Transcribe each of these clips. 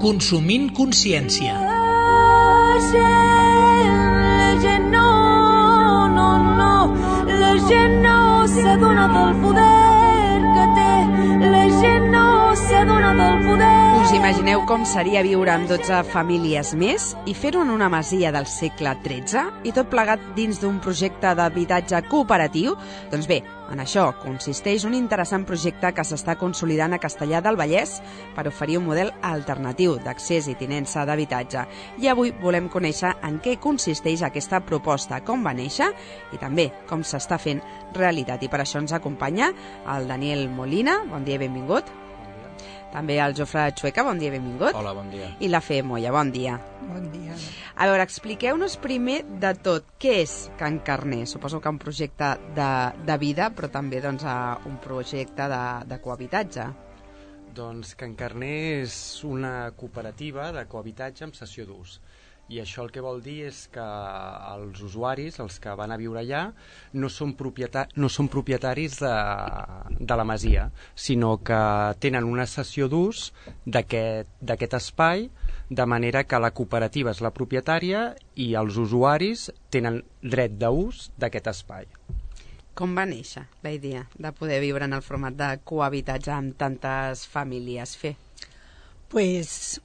Consumint consciència. La gent no s'adona del poder que té. La gent no s'adona del poder. Us imagineu com seria viure amb 12 famílies més i fer-ho en una masia del segle XIII i tot plegat dins d'un projecte d'habitatge cooperatiu? Doncs bé, en això consisteix un interessant projecte que s'està consolidant a Castellar del Vallès per oferir un model alternatiu d'accés i tinença d'habitatge. I avui volem conèixer en què consisteix aquesta proposta, com va néixer i també com s'està fent realitat. I per això ens acompanya el Daniel Molina. Bon dia i benvingut. També el Jofre Chueca, bon dia i benvingut. Hola, bon dia. I la Fe Moya, bon dia. Bon dia. A veure, expliqueu-nos primer de tot què és Can Carner. Suposo que un projecte de vida, però també doncs, un projecte de cohabitatge. Doncs Can Carner és una cooperativa de cohabitatge amb cessió d'ús. I això el que vol dir és que els usuaris, els que van a viure allà, no són propietaris de la masia, sinó que tenen una cessió d'ús d'aquest espai, de manera que la cooperativa és la propietària i els usuaris tenen dret d'ús d'aquest espai. Com va néixer la idea de poder viure en el format de cohabitatge amb tantes famílies? Fer? Pues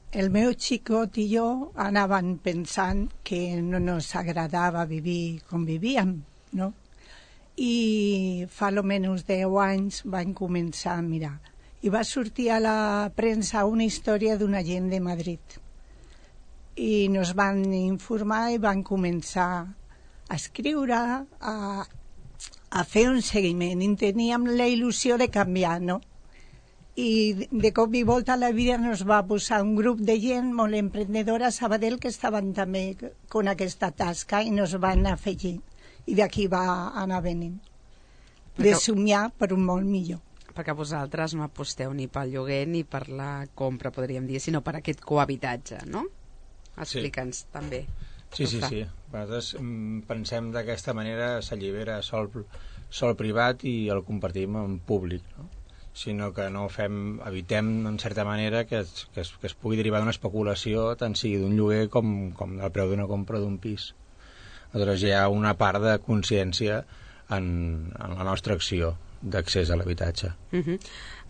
el meu xicot i jo anàvem pensant que no ens agradava vivir com vivíem, no? I fa almenys 10 anys vam començar a mirar. I va sortir a la premsa una història d'una gent de Madrid. I ens van informar i van començar a escriure, a fer un seguiment. I teníem la il·lusió de canviar, no? I de cop i volta la vida ens va posar un grup de gent molt emprendedora a Sabadell que estaven també con aquesta tasca i ens van afegir. I d'aquí va anar venint. De somiar per un molt millor. Perquè vosaltres no aposteu ni pel lloguer ni per la compra, podríem dir, sinó per aquest cohabitatge, no? Explica'ns també. Sí. Nosaltres pensem d'aquesta manera s'allibera sol privat i el compartim en públic, no? Sinó que no evitem en certa manera que es pugui derivar d'una especulació tant sigui d'un lloguer com del preu d'una compra d'un pis. Aleshores hi ha una part de consciència en la nostra acció d'accés a l'habitatge.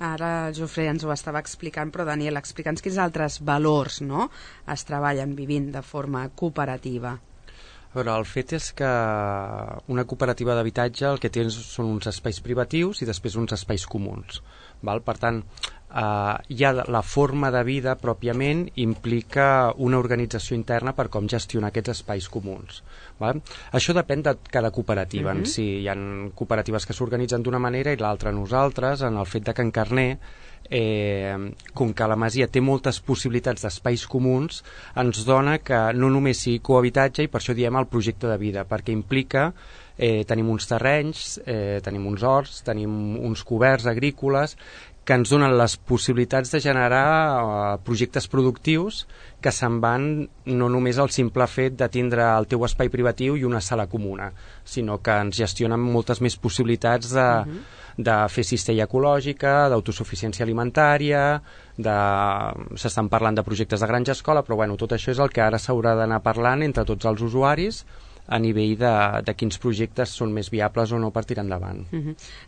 Ara el Jofre ens ho estava explicant, però Daniel, explica'ns quins altres valors, no, es treballen vivint de forma cooperativa. A veure, el fet és que una cooperativa d'habitatge el que té són uns espais privatius i després uns espais comuns. Val? Per tant, ja la forma de vida pròpiament implica una organització interna per com gestionar aquests espais comuns. Val? Això depèn de cada cooperativa en si. Hi ha cooperatives que s'organitzen d'una manera i l'altra. Nosaltres, en el fet de Can Carner, com que la masia té moltes possibilitats d'espais comuns, ens dona que no només sigui cohabitatge, i per això diem el projecte de vida, perquè implica tenim uns terrenys, tenim uns horts, tenim uns coberts agrícoles que ens donen les possibilitats de generar projectes productius que se'n van no només al simple fet de tindre el teu espai privatiu i una sala comuna, sinó que ens gestionen moltes més possibilitats de fer cistella ecològica, d'autosuficiència alimentària, s'estan parlant de projectes de granja escola, però bueno, tot això és el que ara s'haurà d'anar parlant entre tots els usuaris a nivell de quins projectes són més viables o no per tirar endavant.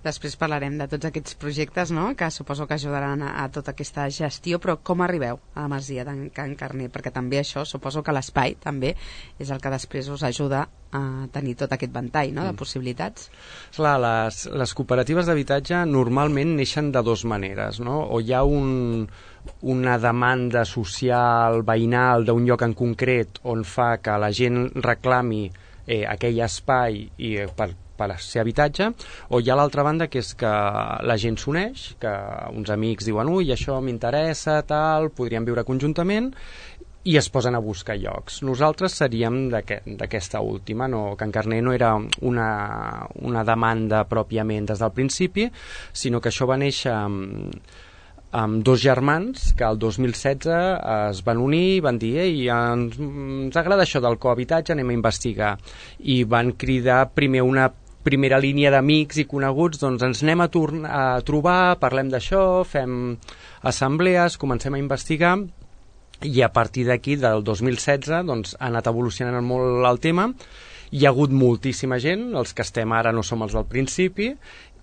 Després parlarem de tots aquests projectes, no?, que suposo que ajudaran a tota aquesta gestió, però com arribeu a la masia de Can Carner? Perquè també això, suposo que l'espai també és el que després us ajuda a tenir tot aquest ventall, no?, de possibilitats. Clar, les cooperatives d'habitatge normalment neixen de dues maneres, no? O hi ha una demanda social, veïnal, d'un lloc en concret on fa que la gent reclami aquell espai per ser habitatge, o hi ha l'altra banda que és que la gent s'uneix, que uns amics diuen ui, això m'interessa, tal, podríem viure conjuntament, i es posen a buscar llocs. Nosaltres seríem d'aquesta última, no? Can Carner no era una demanda pròpiament des del principi, sinó que això va néixer amb dos germans que el 2016 es van unir i van dir ens agrada això del cohabitatge, anem a investigar, i van cridar primer una primera línia d'amics i coneguts, doncs ens anem a trobar, parlem d'això, fem assemblees, comencem a investigar, I a partir d'aquí, del 2016, doncs, ha anat evolucionant molt el tema. Hi ha hagut moltíssima gent, els que estem ara no som els del principi,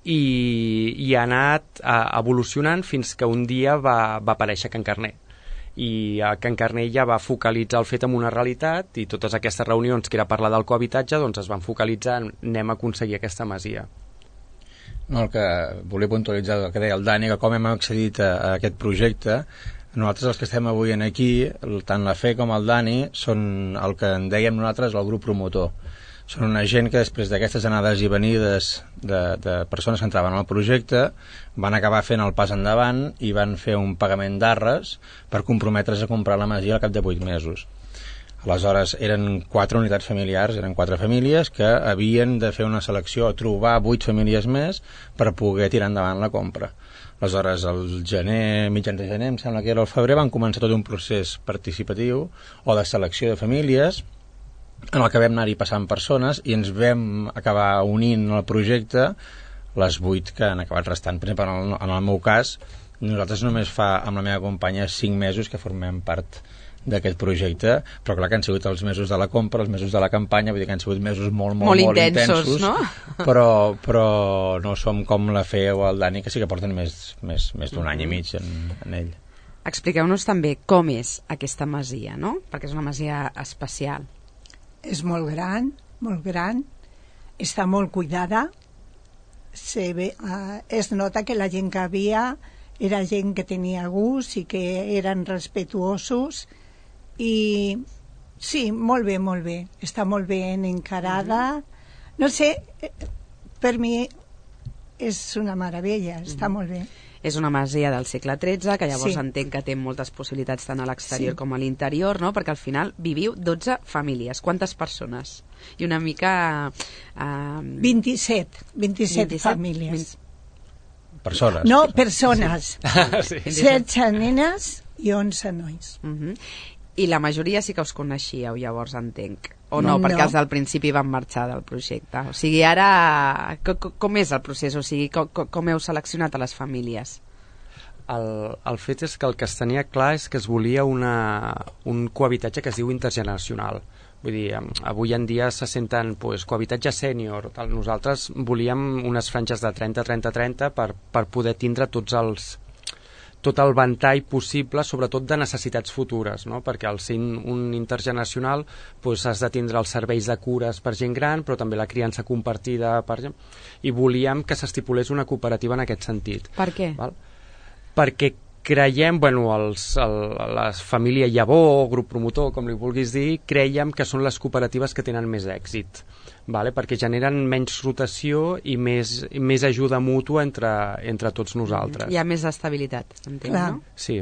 i ha anat evolucionant fins que un dia va aparèixer Can Carner. I a Can Carner ja va focalitzar el fet en una realitat, i totes aquestes reunions que era parlar del cohabitatge doncs es van focalitzar en anem a aconseguir aquesta masia. No, el que volia puntualitzar el que deia el Dani, que com hem accedit a aquest projecte, nosaltres els que estem avui aquí, tant la Fe com el Dani, són el que en dèiem nosaltres el grup promotor. Són una gent que després d'aquestes anades i venides de persones que entraven al projecte van acabar fent el pas endavant i van fer un pagament d'arres per comprometre's a comprar la masia al cap de 8 mesos. Aleshores eren 4 unitats familiars, eren 4 famílies que havien de fer una selecció, trobar 8 famílies més per poder tirar endavant la compra. Aleshores, al gener, mitjans de gener, em sembla que era el febrer, van començar tot un procés participatiu o de selecció de famílies en el que vam anar-hi passant persones i ens vam acabar unint al projecte les 8 que han acabat restant. Per exemple, en el meu cas, nosaltres només fa amb la meva companya 5 mesos que formem part d'aquest projecte, però clar que han sigut els mesos de la compra, els mesos de la campanya, vull dir que han sigut mesos molt intensos, no? però no som com la Fe o el Dani, que sí que porten més d'un any i mig en ell. Expliqueu-nos també com és aquesta masia, no? Perquè és una masia especial. És molt gran, està molt cuidada, es nota que la gent que havia era gent que tenia gust i que eren respetuosos, i sí, molt bé, està molt ben encarada. No sé, per mi és una meravella, està molt bé. És una masia del segle XIII, que llavors Sí. entenc que té moltes possibilitats tant a l'exterior com a l'interior, no? Perquè al final viviu 12 famílies. Quantes persones? I una mica... 27 famílies. Persones. No, persones. Sí. 16 nenes i 11 nois. I la majoria sí que us coneixíeu, llavors entenc. O no, No. perquè els del principi van marxar del projecte. O sigui, ara... Com és el procés? O sigui, com heu seleccionat a les famílies? El fet és que el que es tenia clar és que es volia un cohabitatge que es diu intergeneracional. Vull dir, avui en dia se senten cohabitatge sènior. Nosaltres volíem unes franges de 30-30-30 per poder tindre tot el ventall possible, sobretot de necessitats futures, no? Perquè al ser un intergeneracional has de tindre els serveis de cures per gent gran, però també la criança compartida per gent, i volíem que s'estipulés una cooperativa en aquest sentit. Per què? Val? Perquè creiem, la família Llavor, grup promotor, com li vulguis dir, creiem que són les cooperatives que tenen més èxit, vale? Perquè generen menys rotació i més ajuda mútua entre tots nosaltres. Hi ha més estabilitat, entenc, Clar. no? Sí,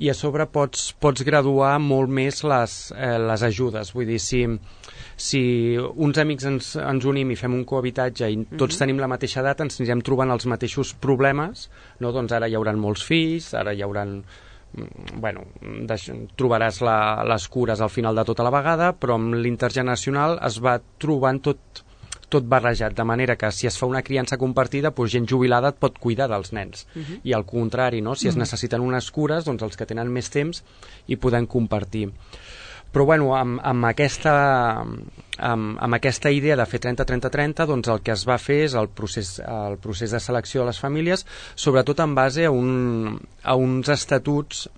i a sobre pots graduar molt més les ajudes. Vull dir, si uns amics ens unim i fem un cohabitatge i tots tenim la mateixa edat, ens anirem trobant els mateixos problemes, no? Doncs ara hi haurà molts fills, ara hi haurà... trobaràs les cures al final de tota la vegada, però amb l'intergeneracional es va trobant tot barrejat, de manera que si es fa una criança compartida, gent jubilada et pot cuidar dels nens, i al contrari, no? Si es necessiten unes cures, doncs els que tenen més temps hi podem compartir. Però amb aquesta idea de fer 30-30-30, doncs el que es va fer és el procés de selecció de les famílies, sobretot en base a uns estatuts,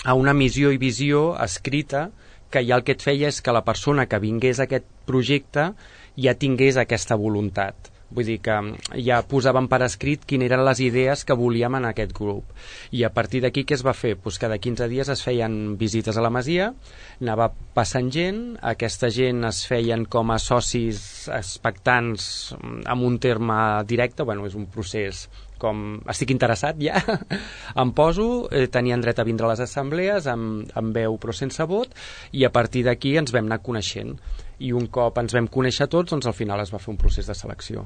a una missió i visió escrita, que ja el que et feia és que la persona que vingués a aquest projecte ja tingués aquesta voluntat. Vull dir que ja posàvem per escrit quines eren les idees que volíem en aquest grup. I a partir d'aquí què es va fer? Cada 15 dies es feien visites a la masia, anava passant gent, aquesta gent es feien com a socis expectants amb un terme directe, és un procés com estic interessat ja, em poso, tenien dret a vindre a les assemblees amb veu però sense vot, i a partir d'aquí ens vam anar coneixent. I un cop ens vam conèixer tots, doncs al final es va fer un procés de selecció.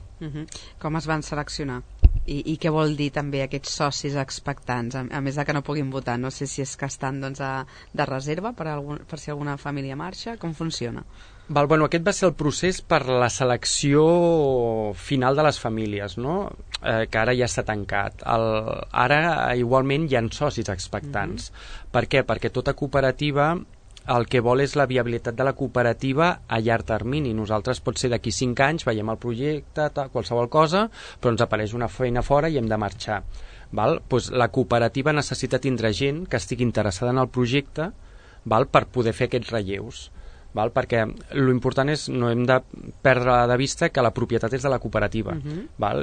Com es van seleccionar? I què vol dir també aquests socis expectants, a més de que no puguin votar? No sé si és que estan de reserva per si alguna família marxa, com funciona? Bueno, aquest va ser el procés per la selecció final de les famílies, no? Que ara ja està tancat. Ara igualment hi ha socis expectants. Per què? Perquè tota cooperativa el que vol és la viabilitat de la cooperativa a llarg termini. Nosaltres pot ser d'aquí 5 anys, veiem el projecte, qualsevol cosa, però ens apareix una feina fora i hem de marxar. Pues la cooperativa necessita tindre gent que estigui interessada en el projecte per poder fer aquests relleus. Perquè l'important és, no hem de perdre de vista que la propietat és de la cooperativa,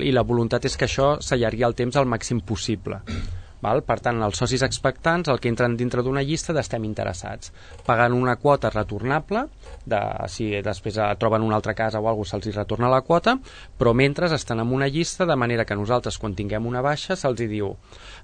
i la voluntat és que això s'allargui el temps al màxim possible. Per tant, els socis expectants, el que entren dintre d'una llista d'estem interessats, pagant una quota retornable, si després troben una altra casa o alguna cosa se'ls retorna la quota, però mentre estan en una llista, de manera que nosaltres quan tinguem una baixa se'ls diu,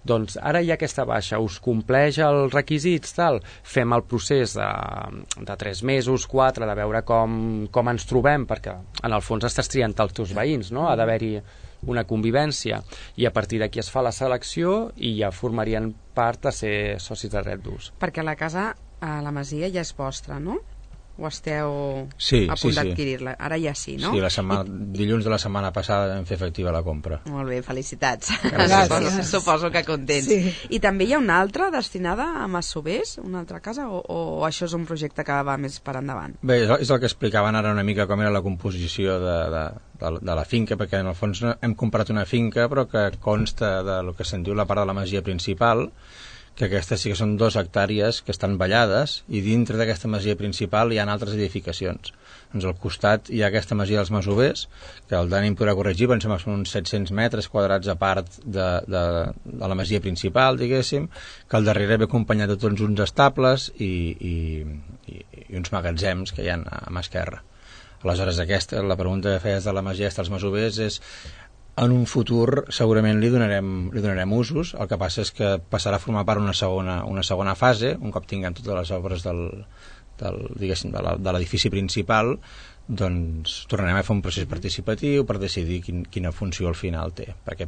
doncs ara hi ha aquesta baixa, us compleix els requisits, fem el procés de 3 mesos, 4, de veure com ens trobem, perquè en el fons estàs triant els teus veïns, no? Ha d'haver-hi una convivència, i a partir d'aquí es fa la selecció i ja formarien part de ser socis de dret d'ús. Perquè la casa a la Masia ja és vostra, no? O esteu a punt d'adquirir-la? Ara ja sí, no? Sí, dilluns de la setmana passada vam fer efectiva la compra. Molt bé, felicitats. Gràcies. Suposo que contents. Sí. I també hi ha una altra destinada a masovers, una altra casa, o això és un projecte que va més per endavant? Bé, és el que explicaven ara una mica com era la composició de la finca, perquè en el fons hem comprat una finca però que consta del que se'n diu la part de la masia principal, que aquestes sí que són 2 hectàrees que estan ballades, i dintre d'aquesta masia principal hi ha altres edificacions. Doncs al costat hi ha aquesta masia dels masovers, que el Dani em podrà corregir, pensem que són uns 700 metres quadrats a part de la masia principal, diguéssim, que al darrere ve acompanyat de tots uns estables i uns magatzems que hi ha a mà esquerra. Aleshores, la pregunta que feies de la masia dels masovers és: en un futur segurament li donarem usos, el que passa és que passarà a formar part una segona fase, un cop tinguem totes les obres de l'edifici principal, doncs tornarem a fer un procés participatiu per decidir quina funció al final té, perquè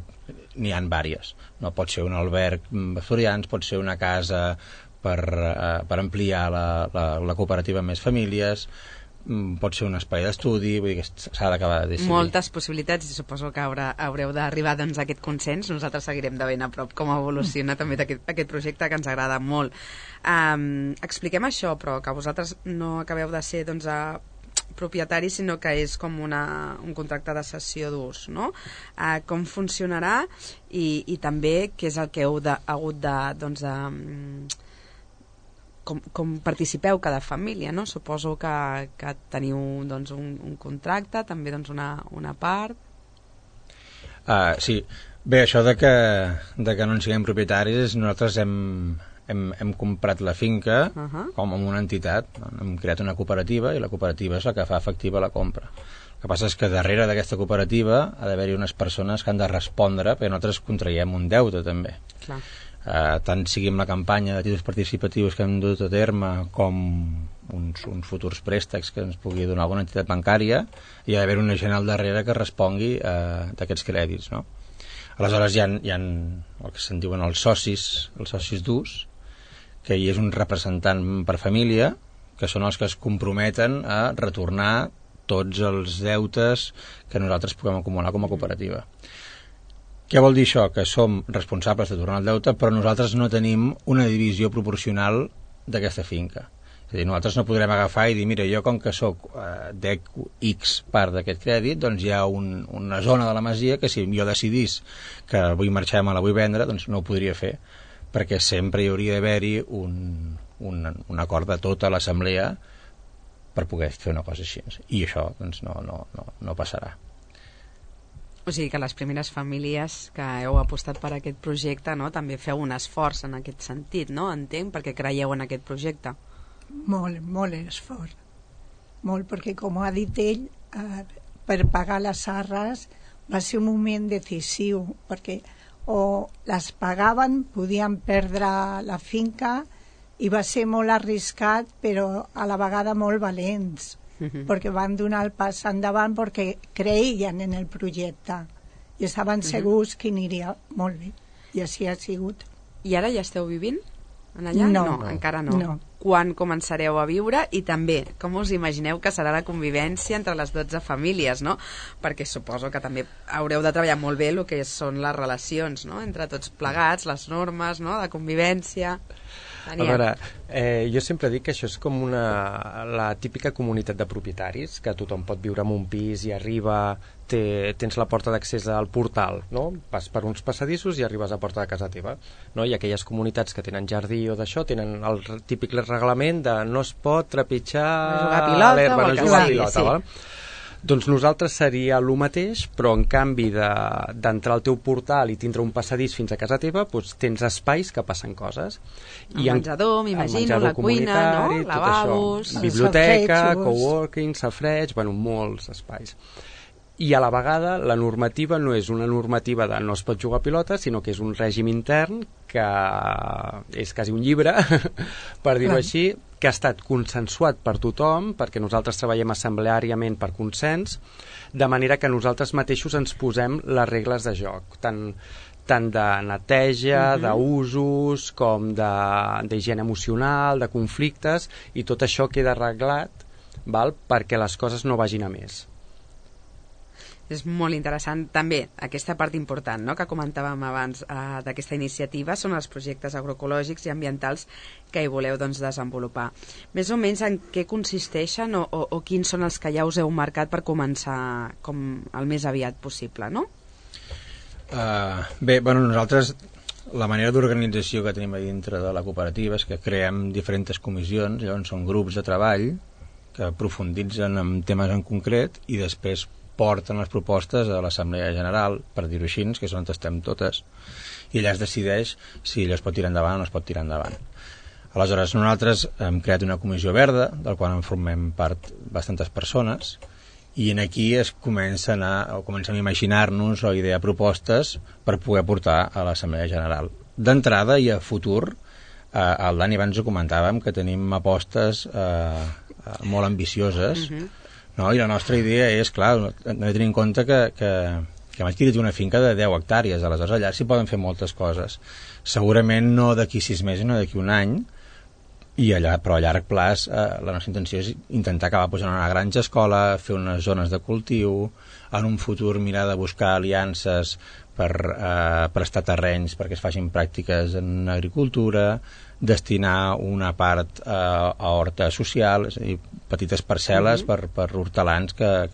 n'hi ha diverses. No pot ser un alberg d'estudiants, pot ser una casa per ampliar la cooperativa amb més famílies, pot ser un espai d'estudi, vull dir que s'ha d'acabar de decidir. Moltes possibilitats, i suposo que haureu d'arribar a aquest consens. Nosaltres seguirem de ben a prop com evoluciona també aquest projecte, que ens agrada molt. Expliquem això, però que vosaltres no acabeu de ser propietaris, sinó que és com un contracte de cessió d'ús, no? Com funcionarà i també què és el que heu hagut de com participeu cada família, no? Suposo que teniu un contracte, també una part. Sí. Bé, això de que no en siguem propietaris, nosaltres hem comprat la finca com amb una entitat, hem creat una cooperativa i la cooperativa és la que fa efectiva la compra. El que passa és que darrere d'aquesta cooperativa ha d'haver-hi unes persones que han de respondre, perquè nosaltres contraiem un deute també. Clar. Tant sigui amb la campanya de títols participatius que hem dut a terme com uns futurs préstecs que ens pugui donar alguna entitat bancària, hi ha d'haver una gent al darrere que respongui d'aquests crèdits, no? Aleshores hi ha el que se'n diuen els socis d'ús, que hi és un representant per família, que són els que es comprometen a retornar tots els deutes que nosaltres puguem acumular com a cooperativa. Què vol dir això? Que som responsables de tornar el deute, però nosaltres no tenim una divisió proporcional d'aquesta finca. És a dir, nosaltres no podrem agafar i dir, mira, jo com que soc dec X part d'aquest crèdit, doncs hi ha una zona de la masia que si jo decidís que vull marxar i me la vull vendre, doncs no ho podria fer, perquè sempre hi hauria d'haver-hi un acord de tota l'assemblea per poder fer una cosa així. I això doncs, no passarà. O sigui que les primeres famílies que heu apostat per aquest projecte, no, també feu un esforç en aquest sentit, no? Entenc, perquè creieu en aquest projecte. Molt esforç. Molt, perquè com ha dit ell, per pagar les arres va ser un moment decisiu, perquè o les pagaven, podien perdre la finca, i va ser molt arriscat, però a la vegada molt valents. Perquè van donar el pas endavant perquè creien en el projecte i estaven segurs que aniria molt bé, i així ha sigut. I ara ja esteu vivint en allà? No, encara no. No. Quan començareu a viure? I també, com us imagineu que serà la convivència entre les 12 famílies, no? Perquè suposo que també haureu de treballar molt bé el que són les relacions, no? Entre tots plegats, les normes, no? De convivència. Daniel. A veure, jo sempre dic que això és com la típica comunitat de propietaris, que tothom pot viure en un pis i arriba, tens la porta d'accés al portal, no? Vas per uns passadissos i arribes a porta de casa teva, no? I aquelles comunitats que tenen jardí o d'això tenen el típic reglament de no es pot trepitjar l'herba, no jugar a pilota, val? Doncs nosaltres seria el mateix, però en canvi d'entrar al teu portal i tindre un passadís fins a casa teva, doncs tens espais que passen coses. El menjador, m'imagino, la cuina, no? Lavabos, biblioteca, coworking, safareig, bueno, molts espais. I a la vegada la normativa no és una normativa de no es pot jugar a pilota, sinó que és un règim intern que és quasi un llibre, per dir-ho així, que ha estat consensuat per tothom, perquè nosaltres treballem assembleàriament per consens, de manera que nosaltres mateixos ens posem les regles de joc, tant de neteja, d'usos, com d'higiene emocional, de conflictes, i tot això queda arreglat, val, perquè les coses no vagin a més. És molt interessant també aquesta part important, no?, que comentàvem abans d'aquesta iniciativa, són els projectes agroecològics i ambientals que hi voleu doncs, desenvolupar. Més o menys en què consisteixen o quins són els que ja us heu marcat per començar com el més aviat possible, no? Bé, bueno, nosaltres la manera d'organització que tenim a dintre de la cooperativa és que creem diferents comissions, llavors són grups de treball que profunditzen en temes en concret i després porten les propostes a l'Assemblea General, per dir-ho així, que és on estem totes, i allà es decideix si allò es pot tirar endavant o no es pot tirar endavant. Aleshores, nosaltres hem creat una comissió verda, del qual en formem part bastantes persones, i en aquí comencem a imaginar-nos o idear propostes per poder portar a l'Assemblea General. D'entrada i a futur, el Dani abans ho comentàvem, que tenim apostes molt ambicioses, no? I la nostra idea és, clar, hem de tenir en compte que Masquiri té una finca de 10 hectàrees, aleshores allà s'hi poden fer moltes coses. Segurament no d'aquí 6 mesos, no d'aquí un any, però a llarg plaç la nostra intenció és intentar acabar posant una granja escola, fer unes zones de cultiu, en un futur mirar de buscar aliances per prestar terrenys perquè es facin pràctiques en agricultura, destinar una part a horta social, és a dir, petites parcel·les per hortelans que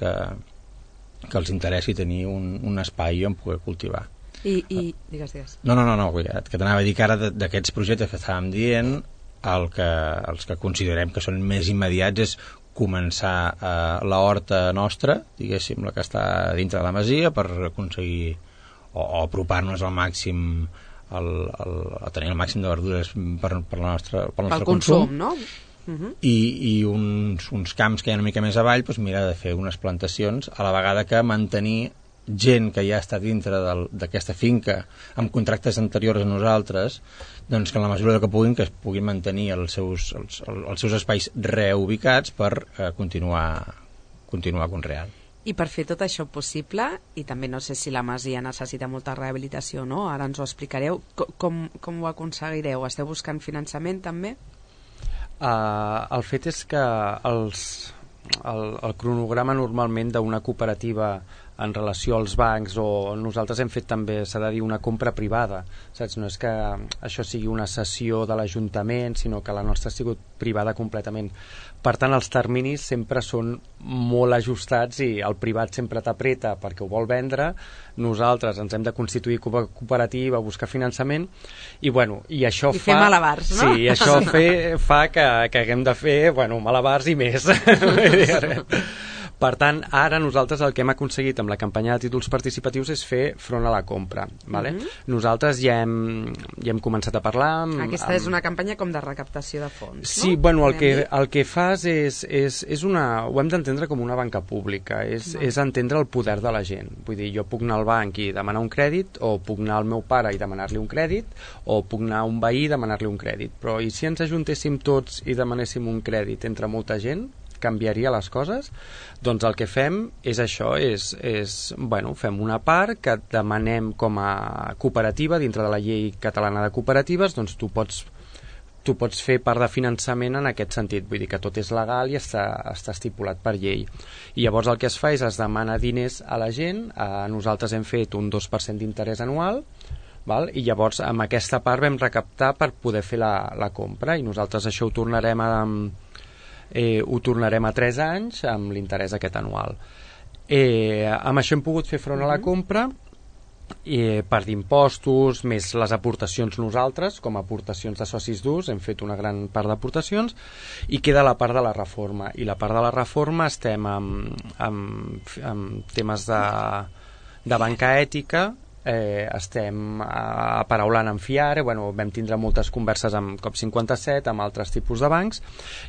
els interessi tenir un espai on poder cultivar. Digues. No, que t'anava a dir que ara d'aquests projectes que estàvem dient, els que considerem que són més immediats és començar la horta nostra, diguéssim, la que està dintre de la masia, per aconseguir o apropar-nos al màxim a tenir el màxim de verdures pel nostre consum, no? I uns camps que hi ha una mica més avall, doncs mirar de fer unes plantacions, a la vegada que mantenir gent que ja està dintre d'aquesta finca amb contractes anteriors a nosaltres, doncs que en la mesura que puguin, que es puguin mantenir els seus espais reubicats per continuar conreant. I per fer tot això possible, i també no sé si la masia necessita molta rehabilitació, no? Ara ens ho explicareu, com ho aconseguireu? Esteu buscant finançament també? El fet és que el cronograma normalment d'una cooperativa en relació als bancs, o nosaltres hem fet també, s'ha de dir, una compra privada, saps? No és que això sigui una cessió de l'Ajuntament, sinó que la nostra ha sigut privada completament. Per tant, els terminis sempre són molt ajustats i el privat sempre t'apreta perquè ho vol vendre, nosaltres ens hem de constituir cooperativa, buscar finançament, i això fer malabars, no? Sí, això fa que haguem de fer malabars i més. Per tant, ara nosaltres el que hem aconseguit amb la campanya de títols participatius és fer front a la compra. Vale? Nosaltres ja hem començat a parlar... Aquesta és una campanya com de recaptació de fons, sí, no? El que fas és ho hem d'entendre com una banca pública, és entendre el poder de la gent. Vull dir, jo puc anar al banc i demanar un crèdit, o puc anar al meu pare i demanar-li un crèdit, o puc anar a un veí i demanar-li un crèdit. Però i si ens ajuntéssim tots i demanéssim un crèdit entre molta gent, canviaria les coses, doncs el que fem és això, fem una part que demanem com a cooperativa dintre de la llei catalana de cooperatives, doncs tu pots fer part de finançament en aquest sentit, vull dir que tot és legal i està estipulat per llei. I llavors el que es fa és es demana diners a la gent, nosaltres hem fet un 2% d'interès anual, val? I llavors amb aquesta part vam recaptar per poder fer la compra, i nosaltres això ho tornarem a 3 anys amb l'interès aquest anual. Amb això hem pogut fer front a la compra, part d'impostos, més les aportacions nosaltres, com a aportacions de socis d'ús, hem fet una gran part d'aportacions, i queda la part de la reforma. I la part de la reforma estem amb temes de banca ètica, estem aparaulant amb FIARE, vam tindre moltes converses amb COP57, amb altres tipus de bancs,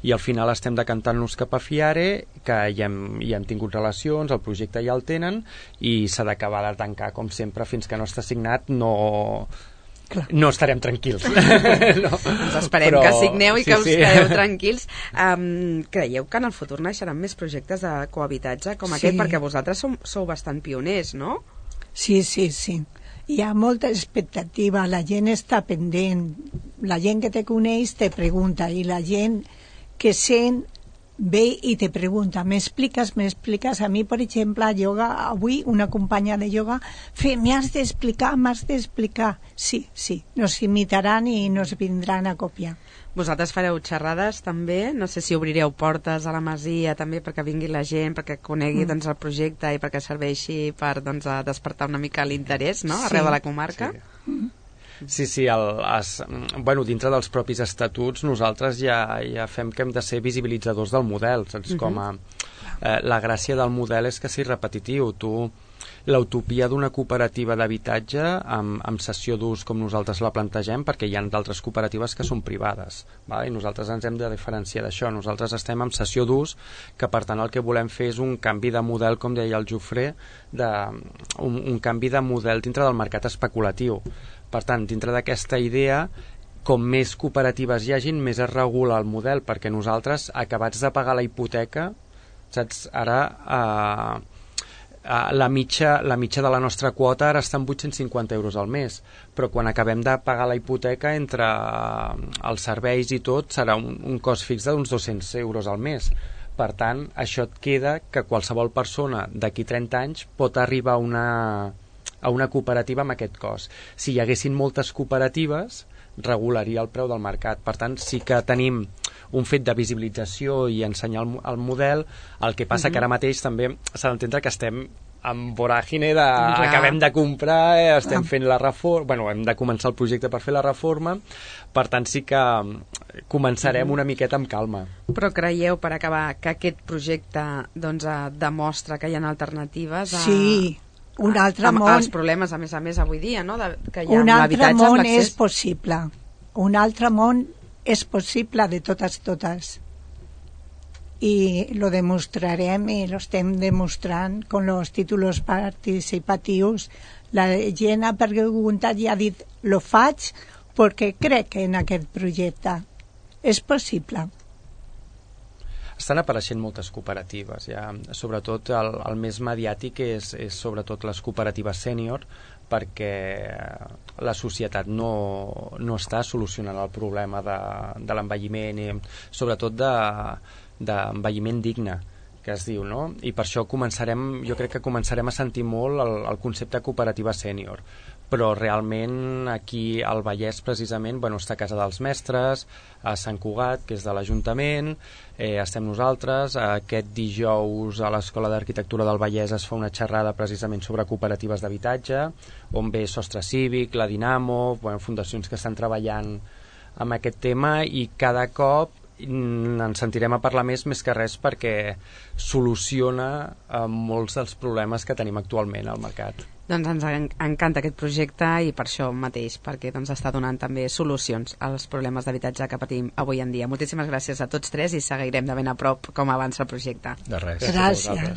i al final estem decantant-nos cap a FIARE, que ja hem tingut relacions, el projecte ja el tenen, i s'ha d'acabar de tancar, com sempre, fins que no està signat no estarem tranquils. Ens esperem que signeu i que us quedeu tranquils. Creieu que en el futur naixeran més projectes de cohabitatge com aquest? Perquè vosaltres sou bastant pioners, no? Sí. Hi ha molta expectativa, la gent està pendent, la gent que te coneix te pregunta, i la gent que sent ve i te pregunta, m'expliques? A mi, per exemple, a yoga, avui una companya de yoga, m'has d'explicar. Sí, nos imitaran i nos vindran a copiar. Vosaltres fareu xerrades també, no sé si obrireu portes a la masia també perquè vingui la gent, perquè conegui el projecte i perquè serveixi per despertar una mica l'interès, no?, arreu de la comarca. Sí, dintre dels propis estatuts nosaltres ja fem que hem de ser visibilitzadors del model, saps? La gràcia del model és que sigui repetitiu. L'utopia d'una cooperativa d'habitatge amb cessió d'ús com nosaltres la plantegem, perquè hi ha d'altres cooperatives que són privades, i nosaltres ens hem de diferenciar d'això. Nosaltres estem amb cessió d'ús, que per tant el que volem fer és un canvi de model, com deia el Jofré, un canvi de model dintre del mercat especulatiu. Per tant, dintre d'aquesta idea, com més cooperatives hi hagin, més es regula el model, perquè nosaltres, acabats de pagar la hipoteca, saps, ara la mitja de la nostra quota ara està en 850 euros al mes, però quan acabem de pagar la hipoteca, entre els serveis i tot, serà un cost fix d'uns 200 euros al mes. Per tant, això et queda que qualsevol persona d'aquí 30 anys pot arribar a una cooperativa amb aquest cost. Si hi haguessin moltes cooperatives, regularia el preu del mercat. Per tant, sí que tenim un fet de visibilització i ensenyar el model. El que passa que ara mateix també s'ha d'entendre que estem en voràgine acabem de comprar, estem fent la reforma, hem de començar el projecte per fer la reforma, per tant sí que començarem una miqueta amb calma. Però creieu, per acabar, que aquest projecte demostra que hi ha alternatives un altre món, als problemes, a més avui dia, no? Que hi ha un altre món l'accés. és possible, un altre món és possible de totes, i lo demostrarem i lo estem demostrant con los títulos participatius. La gent ha preguntat i ha dit, lo faig perquè crec en aquest projecte. És possible. Estan apareixent moltes cooperatives, sobretot el més mediàtic és sobretot les cooperatives sènior, perquè la societat no està solucionant el problema de l'envelliment, i sobretot d'envelliment digne, que es diu, no? I per això jo crec que començarem a sentir molt el concepte cooperativa sènior, però realment aquí al Vallès precisament està a Casa dels Mestres, a Sant Cugat, que és de l'Ajuntament, estem nosaltres. Aquest dijous a l'Escola d'Arquitectura del Vallès es fa una xerrada precisament sobre cooperatives d'habitatge, on ve Sostre Cívic, la Dinamo, fundacions que estan treballant amb aquest tema, i cada cop ens sentirem a parlar més que res perquè soluciona molts dels problemes que tenim actualment al mercat. Doncs ens encanta aquest projecte, i per això mateix, perquè està donant també solucions als problemes d'habitatge que patim avui en dia. Moltíssimes gràcies a tots tres i seguirem de ben a prop com avança el projecte. De res. Gràcies.